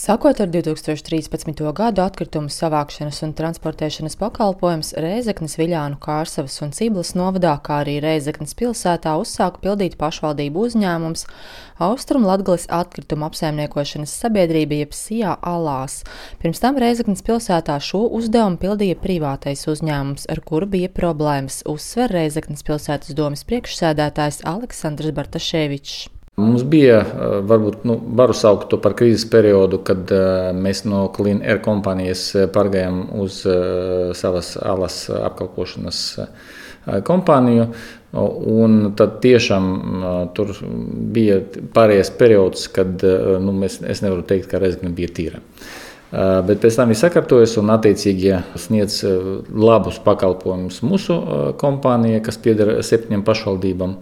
Sākot ar 2013. gadu atkritumu savākšanas un transportēšanas pakalpojums Rēzeknes, Viļānu, Kārsavas un Ciblas novadā, kā arī Rēzeknes pilsētā uzsāka pildīt pašvaldību uzņēmums Austrumlatgales atkritumu apsaimniekošanas sabiedrība jeb SIA Alās. Pirms tam Rēzeknes pilsētā šo uzdevumu pildīja privātais uzņēmums, ar kuru bija problēmas, uzsver Rēzeknes pilsētas domes priekšsēdētājs Aleksandrs Bartaševičs. Mums bija, varbūt, varu saukt to par krīzes periodu, kad mēs no Clean Air kompānijas pārgājām uz savas alas apkalpošanas kompāniju. Un tad tiešām tur bija pārējais periods, kad es nevaru teikt, ka Rēzekne bija tīra. Bet pēc tam viņi sakārtojas un attiecīgi sniedz labus pakalpojumus mūsu kompānijai, kas pieder 7 pašvaldībām.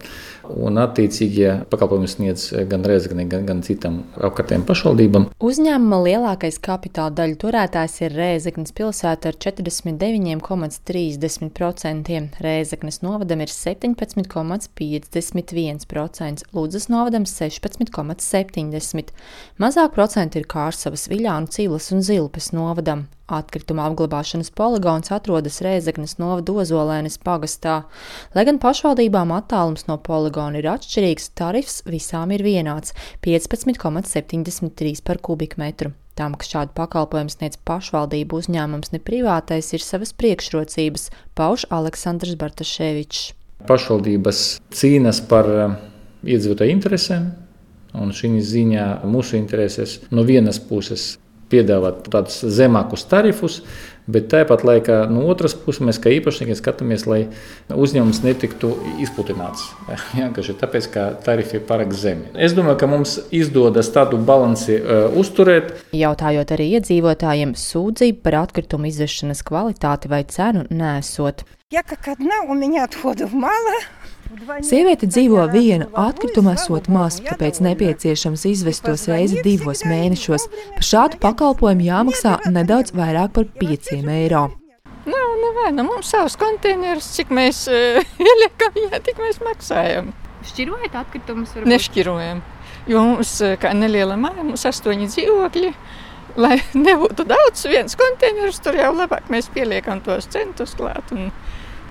Un attiecīgi pakalpojumus sniedz gan Rēzeknei, gan citām apkārtējām pašvaldībām. Uzņēmuma lielākais kapitāla daļu turētājs ir Rēzeknes pilsēta ar 49,30%. Rēzeknes novadam ir 17,51%, Ludzas novadam 16,70%. Mazāk procenti ir Kārsavas, Viļānu, Ciblas un Zilpes novadam. Atkrituma apglabāšanas poligons atrodas Rēzeknes novada Ozolēnes pagastā. Lai gan pašvaldībām attālums no poligona ir atšķirīgs, tarifs visām ir vienāds – 15,73 par kubikmetru. Tam, ka šādu pakalpojumu sniedz pašvaldību uzņēmums, ne privātais, ir savas priekšrocības, pauž Aleksandrs Bartaševičs. Pašvaldības cīnas par iedzīvotāju interesēm, un šī ziņā mūsu interesēs no vienas puses piedāvāt tādus zemākus tarifus, bet tāpat laikā no otras puses mēs kā īpašnieki skatāmies, lai uzņēmums netiktu izpludināts. Vienkārši tāpēc, ka tarifi ir pārāk zemi. Es domāju, ka mums izdodas tādu balansi uzturēt. Jautājot arī iedzīvotājiem, sūdzību par atkritumu izvešanas kvalitāti vai cenu nesot. Sieviete dzīvo viena, atkrituma esot maz, tāpēc nepieciešams izvest tos reizi 2 mēnešos. Par šādu pakalpojumu jāmaksā nedaudz vairāk par 5 eiro. Mums savs konteineris, cik mēs ieliekam viņā, tik mēs maksājam. Šķirojat atkritumus? Nešķirojam, jo mums, kā neliela māja, mums 8 dzīvokļi. Lai nebūtu daudz, viens konteineris, tur jau labāk mēs pieliekam tos centus klāt un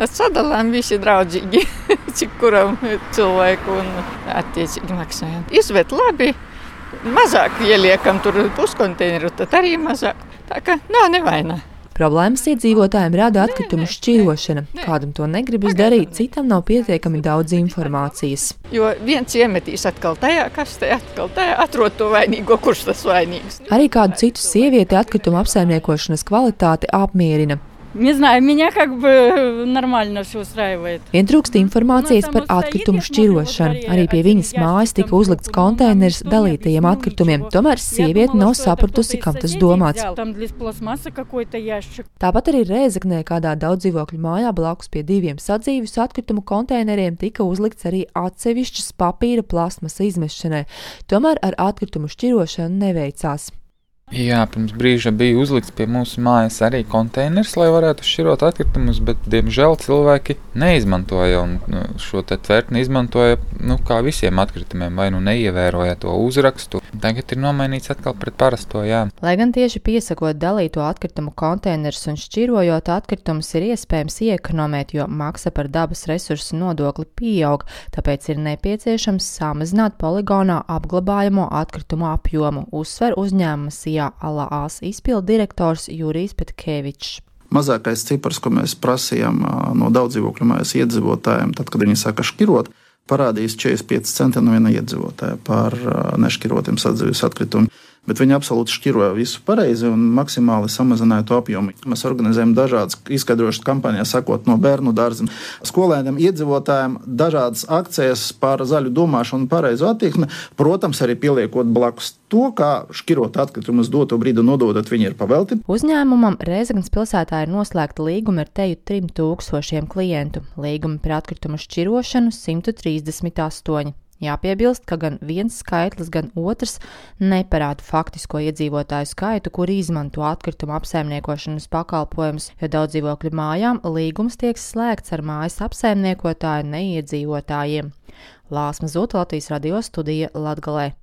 sadalām visi draudzīgi, cik kuram cilvēku un attiecīgi maksājam. Izved labi, mazāk ieliekam tur puskonteineru, tad arī mazāk. Tā kā nav nevaina. Problēmas iedzīvotājiem rada atkritumu šķirošana. Kādam to negribas darīt, citam nav pietiekami daudz informācijas. Jo viens iemetīs atkal tajā kastē, atkal tajā, atrod to vainīgo, kurš tas vainīgs. Arī kādu citu sievieti atkritumu apsaimniekošanas kvalitāti apmierina. Не знаю, меня как бы нормально все устраивает. Vien trūkst informācijas par atkritumu šķirošanu. Arī pie viņas mājas tika uzlikts konteiners dalītajiem atkritumiem. Tomēr sieviete nav sapratusi, kam tas domāts. Tāpat arī Rēzeknē kādā daudzdzīvokļu mājā blakus pie 2 sadzīves atkritumu konteineriem tika uzlikts arī atsevišķas papīra plasmasa izmešanai. Tomēr ar atkritumu šķirošanu neveicās. Jā, pirms brīža bija uzlikts pie mūsu mājas arī konteiners, lai varētu šķirot atkritumus, bet, diemžēl, cilvēki neizmantoja šo te tvertni izmantoja, kā visiem atkritumiem, vai neievēroja to uzrakstu. Tagad ir nomainīts atkal pret parasto, jā. Lai gan tieši piesakot dalīto atkritumu konteinerus un šķirojot atkritumus ir iespējams iekonomēt, jo maksa par dabas resursu nodokli pieaug, tāpēc ir nepieciešams samazināt poligonā apglabājamo atkritumu apjomu, uzsver uzņēmuma SIA Alās izpildu direktors Jurijs Petkevičs. Mazākais cipars, ko mēs prasījām no daudzdzīvokļu mājas iedzīvotājiem, tad, kad viņi sāka šķirot, parādījis 45 centi no viena iedzīvotāja par nešķirotiem sadzīves atkritumiem. Bet viņi absolūti šķiroja visu pareizi un maksimāli samazināja to apjomu. Mēs organizējam dažādas izskaidrošanas kampaņas, sakot no bērnu dārziem, skolēniem, iedzīvotājiem, dažādas akcijas par zaļu domāšanu un pareizu attieksmi. Protams, arī pieliekot blakus to, kā šķirot atkritumus doto brīdi nododot, viņi ir pavelti. Uzņēmumam Rēzeknes pilsētā ir noslēgta līguma ar teju 3000 klientu. Līgumi par atkritumu šķirošanu 138. Jāpiebilst, ka gan viens skaitlis, gan otrs neparāda faktisko iedzīvotāju skaitu, kuri izmanto atkritumu apsaimniekošanas pakalpojumus, jo daudzdzīvokļu mājām līgums tiek slēgts ar mājas apsaimniekotāju neiedzīvotājiem. Lāsma Zūta, Latvijas radio studija Latgalē.